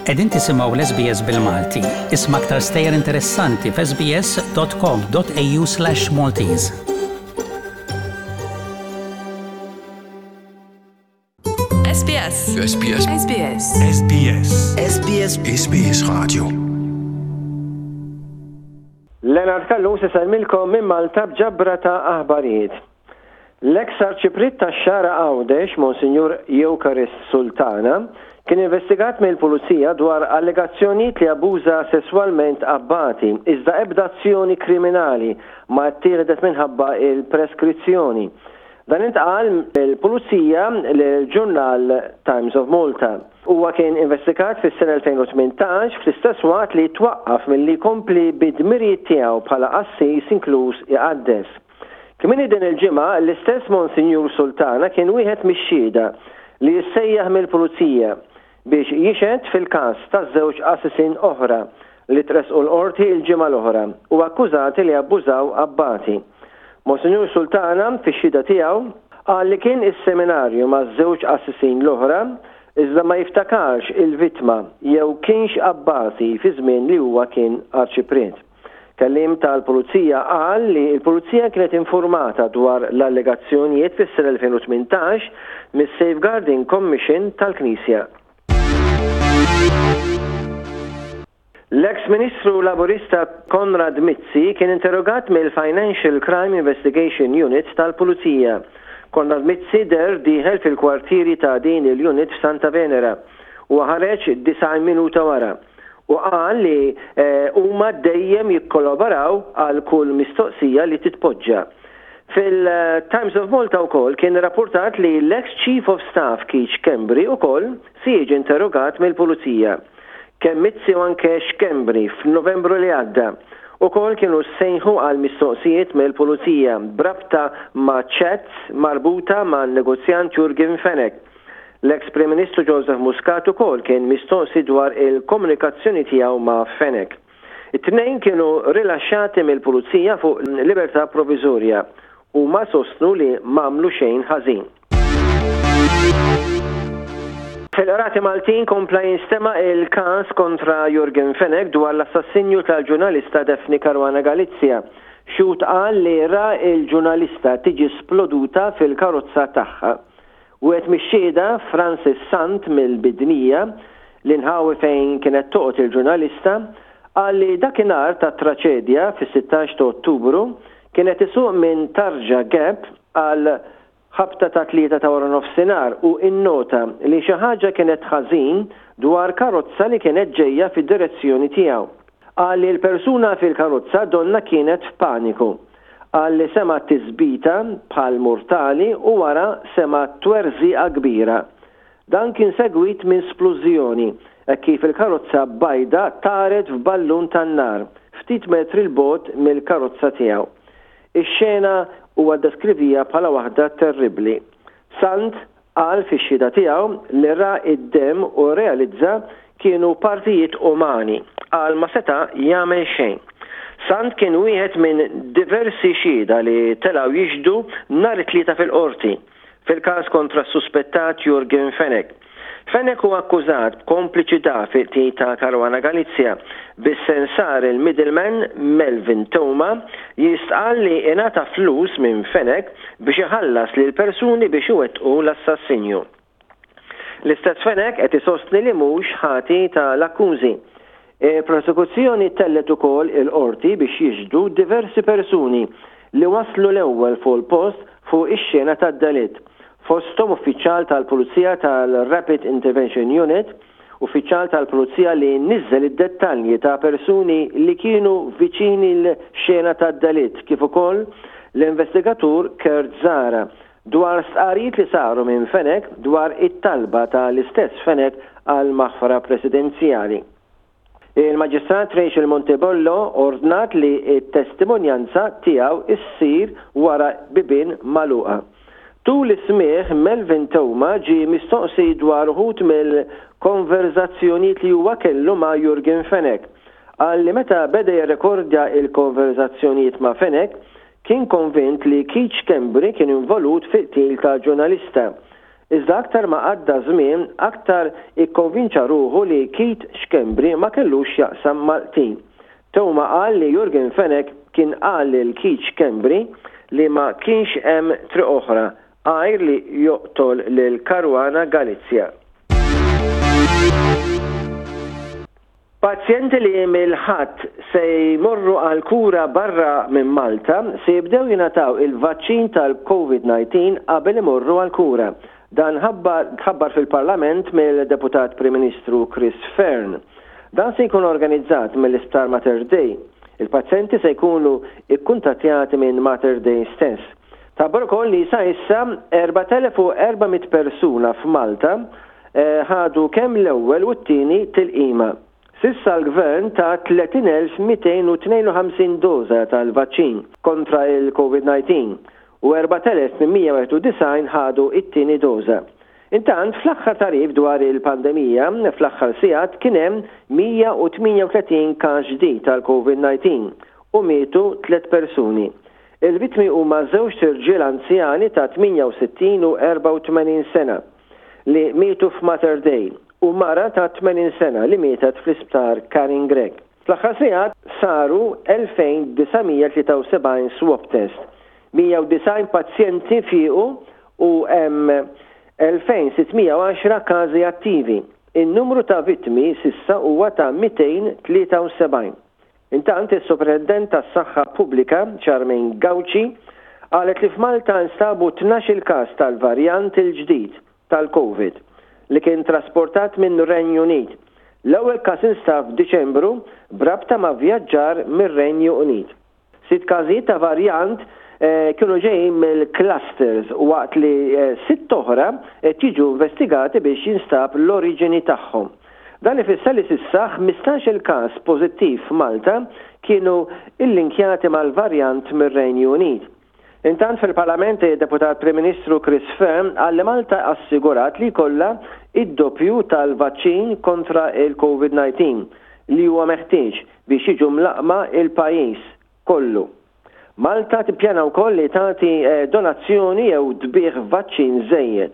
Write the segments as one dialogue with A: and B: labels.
A: Qegħdin tisimgħu l-SBS bil-Malti. Isma' aktar stejjer interessanti f'sbs.com.au/maltese.
B: SBS.
C: SBS.
B: SBS.
C: SBS.
B: SBS.
C: SBS Radio.
D: Leonard Callus isellmilkom minn Malta b'ġabra ta' aħbarijiet. L-eks Arċipriet tax-Xagħra Għawdex, Monsinjur Eucharist Sultana, kien investigat mill-Pulizija dwar allegazzjonijiet li abbuża sesswalment abbati, iżda ebda azzjoni kriminali ma ttieħdet minħabba l-preskrizzjoni. Dan intqal mill-Pulizija lill-ġurnal Times of Malta. Huwa kien investigat fis-sena 2018 fl-istess waqt li twaqqaf milli jkompli bid-dmirijiet tiegħu bħala qassis inkluż iqaddes. Kmieni din il-ġimgħa, l-istess Monsinjur Sultana kien wieħed mix-xhieda li ssejjaħ mill-Pulizija biex jixhed fil-każ ta' żewġ qassisin oħra li tressqu l-Qorti l-ġimgħa l-oħra u akkużati li abbużaw abbati. Monsinjur Sultana, fix-xhieda tiegħu, qal li kien is-seminarju maż-żewġ qassisin l-oħra iżda ma jiftakarx il-vittma jew kienx abbati fi żmien li huwa kien Arċipriet. Kelliem tal-Pulizija qal li l-Pulizija kienet infurmata dwar l-allegazzjonijiet fis-sena 2018 mis-Safeguarding Commission tal-Knisja. L-eks Ministru Laburista Konrad Mizzi kien interrogat mill-Financial Crime Investigation Unit tal-Pulizija. Konrad Mizzi deher dieħel fil-kwartieri ta' din il-unit f'Santa Venera. Huwa ħareġ 90 minuta wara. u qal li huma dejjem jikkolaboraw għal kull mistoqsija li titpoġġa. Fil-Times of Malta wkoll kien irrappurtat li l-eks Chief of Staff Keith Schembri ukoll se jiġi interrogat mill-Pulizija. Kemm Mizzi u anke Schembri f'Novembru li għadda ukoll kienu ssejħu għal mistoqsijiet mill-Pulizija b'rabta ma' chats marbuta man-negozjant Yorgen Fenech. L-eks Prim Ministru Joseph Muscat ukoll kien mistoqsi dwar il-komunikazzjoni tiegħu ma' Fenech. It-tnejn kienu rilaxxati mill-Pulizija fuq libertà proviżorja. Huma jsostnu li m'għamlu xejn ħażin. Fil-Qrati Maltin kompla jinstema' il-każ kontra Yorgen Fenech dwar l-assassinju tal-ġurnalista Daphne Caruana Galizia. Xhud qal li ra l-ġurnalista tiġi sploduta fil-karozza tagħha. Wieħed mix-xhieda, Francis Sant mill-Bidnija, l-inħawi fejn kienet toqgħod il-ġurnalista, qal li dakinhar tat-traċedja, fis-16 ta' Ottubru, kien qed isuq minn Tarġa Gap għal ħabta tat-tlieta ta' waranofsinhar u innota li xi ħaġa kienet ħażin dwar karozza li kienet ġejja fid-direzzjoni tiegħu. Qal li l-persuna fil-karozza donnha kienet f'paniku. Qal li sema' tisbita bħal murtali u wara sema' twerżiqa kbira. Dan kien segwit minn splużjoni hekk kif il-karozza bajda taret f'ballun tan-nar ftit metri 'l bogħod mill-karozza tiegħu. Ix-xena huwa ddeskriviha bħala waħda terribbli. Sant Qal fix-xhieda tiegħu li ra d-demm u rrealizza kienu partijiet umani. Qal ma seta' jagħmel xejn. Sant kien wieħed minn diversi xhieda li telgħu jixhdu nhar it-Tlieta fil-Qorti, fil-każ kontra s-suspettat Yorgen Fenech. Fenech hu akkużat b'kompliċità fil-qtil ta' Caruana Galizia, bis-sensar il-middleman Melvin Theuma jistqarr li ingħata flus minn Fenech biex iħallas lil persuni biex iwettqu l-assassinju. L-istess Fenech qed isostni li mhux ħati ta' l-akkużi. Il-prosekuzzjoni tellgħet ukoll il-Qorti biex jixhdu diversi persuni li waslu l-ewwel fuq il-post fuq ix-xena tad-delitt, fosthom uffiċjal tal-Pulizija tal-Rapid Intervention Unit, uffiċjal tal-Pulizija li niżżel id-dettalji ta' persuni li kienu viċin il-xena tad-delitt kif ukoll l-investigatur Kurt Zahra dwar stqarrijiet li saru minn Fenech dwar it-talba ta' l-istess Fenech għal maħfra presidenzjali. Il-Maġistrat Rachel Montebello ordnat li t-testimonjanza tiegħu ssir wara bibien magħluqa. Tul is-smigħ Melvin Theuma ġie mistoqsi dwar uħud mill-konverżazzjonijiet li huwa kellu ma' Yorgen Fenech. Qal li meta beda jirrekordja l-konverżazzjonijiet ma' Fenech, kien konvint li Keith Schembri kien involut fil-qtil ta' ġurnalista. Iżda aktar ma għadda żmien, aktar ikkonvinċa ruħu li Keith Schembri ma kellux x'jaqsam mal-qtil. Theuma qal li Yorgen Fenech kien qal lil Keith Schembri li ma kienx hemm triq oħra għajr li joqtol lil Caruana Galizia. Pazjenti li mill-Ħadd se jmorru għal kura barra minn Malta se jibdew jingħataw il-vaċċin tal-Covid 19 qabel imorru għall-kura. Dan tħabbar fil-Parlament mill-Deputat Prim Ministru Chris Fearne. Dan se jkun organizzat mill-Isptar Mater Dei. Il-pazjenti se jkunu ikkuntattjati minn Mater Dei stess. Tħabbar ukoll li sa issa 4,400 persuna f'Malta ħadu kemm l-ewwel u t-tieni tilqima. S'issa l-Gvern ta 30,252 doża tal-vaċċin kontra il-Covid-19 u 4,891 ħadu t-tieni doża. Intant, fl-aħħar tagħrif dwar il-pandemija, fl-aħħar sigħat kien hemm 138 każ ġdid tal-Covid-19 u mietu tliet persuni. Il-vittmi huma żewġt irġiel anzjani ta' 68 u 84 sena li mietu f'Mater Dei u mara ta' 80 sena li mietet fl-Isptar Karin Grech. Fl-aħħar sigħat saru 2,973 swab test, 190 pazjenti fiequ u hemm 2,610 każi attivi. In-numru ta' vittmi s'issa huwa ta' 273. Intant, is-Supretendent tas-Saħħa Pubblika, Charmaine Gauci, qalet li f'Malta nstabu 12-il każ tal-varjant il-ġdid tal-Covid li kien trasportat minn Renju Unit. L-ewwel każ instab f'Diċembru b'rabta ma' vjaġġar mir-Renju Unit. Sitt każijiet ta' varjant kienu ġejjin mill-clusters waqt li sitt oħra qed jiġu investigati biex jinstab l-oriġini tagħhom. Dan ifisser li s'issa 15-il każ pożittiv f'Malta kienu illinkjati mal-varjant mir-Renju Unit. Intant fil-Parlament id-Deputat Prim Ministru Chris Fearne qal li Malta assigurat li jkollha id-doppju tal-vaċċin kontra il-Covid 19 li huwa meħtieġ biex jiġu mlaqqma il-pajjiż kollu. Malta tippjana wkoll li tagħti donazzjoni jew tbigħ vaċċin żejjed.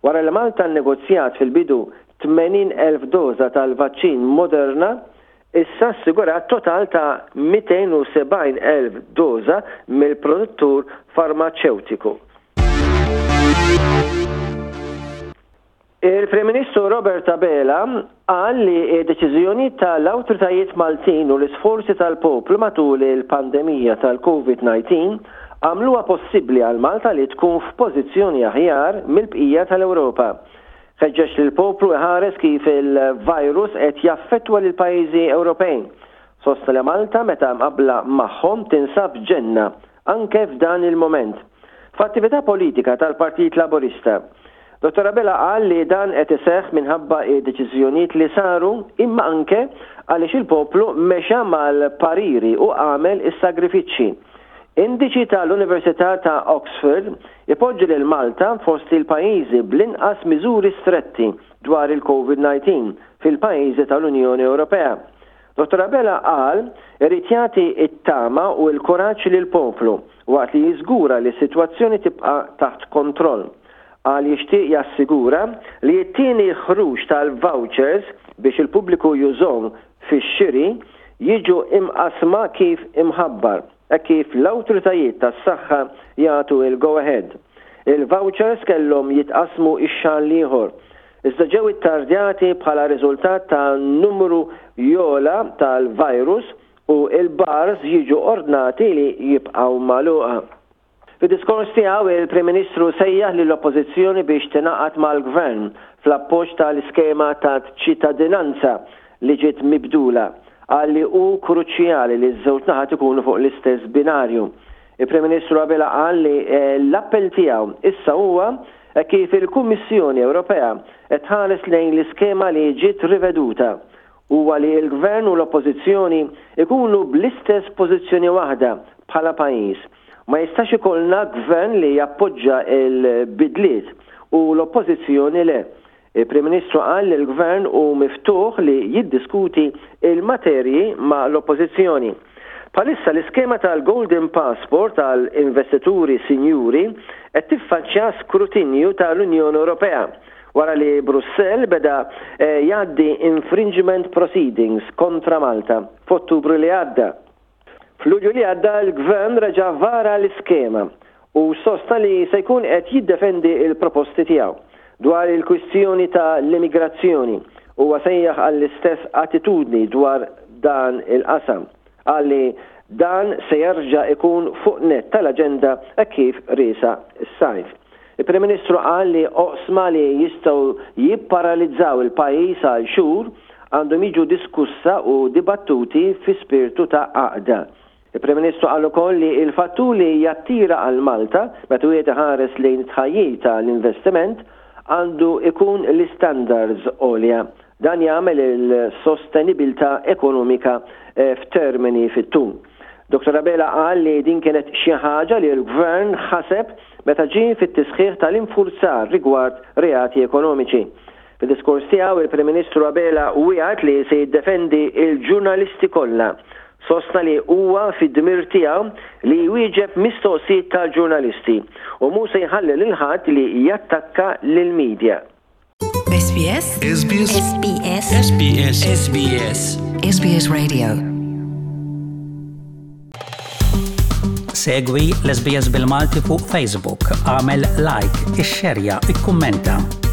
D: Wara li Malta nnegozjat fil-bidu 80,000 doża tal-vaċċin Moderna, issa assigurat total ta' 270,000 doża mill-produttur farmaċewtiku. Il-Prim Ministru Robert Abela qal li d-deċiżjonijiet tal-awtoritajiet Maltin u l-isforzi tal-poplu matul il-pandemija tal-Covid-19 għamluha possibbli għal Malta li tkun f'pożizzjoni aħjar mill-bqija tal-Ewropa. Ħeġġeġ lill-poplu iħares kif il-virus qed jaffettwa lill-pajjiżi Ewropej. Sostna li Malta meta mqabbla magħhom tinsab ġenna anke f'dan il-mument. F'attività politika tal-Partit Laburista, Dottor Abela qal li dan qed iseħħ minħabba d-deċiżjonijiet li saru imma anke għaliex il-poplu mexa mal-pariri u għamel is-sagrifiċċji. Indiċi tal-Università ta' Oxford ipoġġi lil Malta fost il-pajjiżi bl-inqas miżuri stretti dwar il-Covid 19 fil-pajjiżi tal-Unjoni Ewropea. Dottor Abela qal irid jagħti t-tama u l-kuraġġ lill-poplu waqt li jiżgura li s-sitwazzjoni tibqa' taħt kontroll. Qal jixtieq jassigura li t-tieni ħruġ tal-vouchers biex il-pubbliku jużhom fix-xiri jiġu imqassma kif imħabbar, hekk kif l-awtoritajiet tas-saħħa jagħtu l-go ahead. Il-vouchers kellhom jitqassmu x-xahar l-ieħor, iżda ġew ittardjati bħala riżultat ta' numru jogħla tal-virus u l-bars jiġu ordnati li jibqgħu magħluqa. Fid-diskors tiegħu, il-Prim Ministru sejjaħ lill-Oppożizzjoni biex tingħaqad mal-Gvern fl-appoġġ tal-iskema ta' ċittadinanza li ġiet mibdula. Qal li hu kruċjali li ż-żewġ naħat ikunu fuq l-istess binarju. Il-Prim Ministru Abela qal li l-appell tiegħu issa huwa hekk kif il-Kummissjoni Ewropea qed tħares lejn l-iskema li ġiet riveduta huwa li l-Gvern u l-Oppożizzjoni jkunu bl-istess pożizzjoni waħda bħala pajjiż. Ma jistax ikollna Gvern li jappoġġa l-bidliet u l-Oppożizzjoni le. Il-Prim Ministru qal li l-Gvern hu miftuħ li jiddiskuti l-materji ma' l-Oppożizzjoni. Bħalissa l-iskema tal-Golden Passport għal investituri sinjuri qed tiffaċċja skrutinju tal-Unjoni Ewropea wara li Brussell beda jgħaddi infringement proceedings kontra Malta f'Ottubru li għadda. F'Lulju li għadda l-Gvern reġa' vara l-iskema u sostna li se jkun qed jiddefendi l-proposti tiegħu. Dwar il-kwistjoni ta' l-immigrazzjoni, huwa sejjaħ għall-istess attitudni dwar dan il-qasam. Qal li dan se jerġa' ikun fuq nett tal-aġenda hekk kif riesaq is-sajf. Il-Prim Ministru qal li oqsma li jistgħu jipparalizzaw il-pajjiż għal xhur għandhom jiġu diskussa u dibattuti fi spirtu ta' għaqda. Il-Prim Ministru qal ukoll li l-fattur li jattira għal Malta meta wieħed iħares lejn it-tħajjir ta' l-investiment għandu jkun l-istandards għolja. Dan jagħmel il-sostenibilità ekonomika f'termini fit-tul. Dottor Abela qal li din kienet xi ħaġa li l-Gvern ħaseb meta ġie fit-tisħiħ tal-infurzar rigward reati ekonomiċi. Fid-diskors tiegħu, il-Prim Ministru Abela wiegħed li se jiddefendi l-ġurnalisti kollha. Sostna li huwa fid-dmir tiegħu li jwieġeb mistoqsijiet tal-ġurnalisti u mhu se jħalli lil ħadd li jattakka lill-media.
B: SBS SBS SBS SBS SBS SBS Radio
A: Segwi l-SBS bil-Malti fuq Facebook, għamel like, ixxerja, ikkummenta.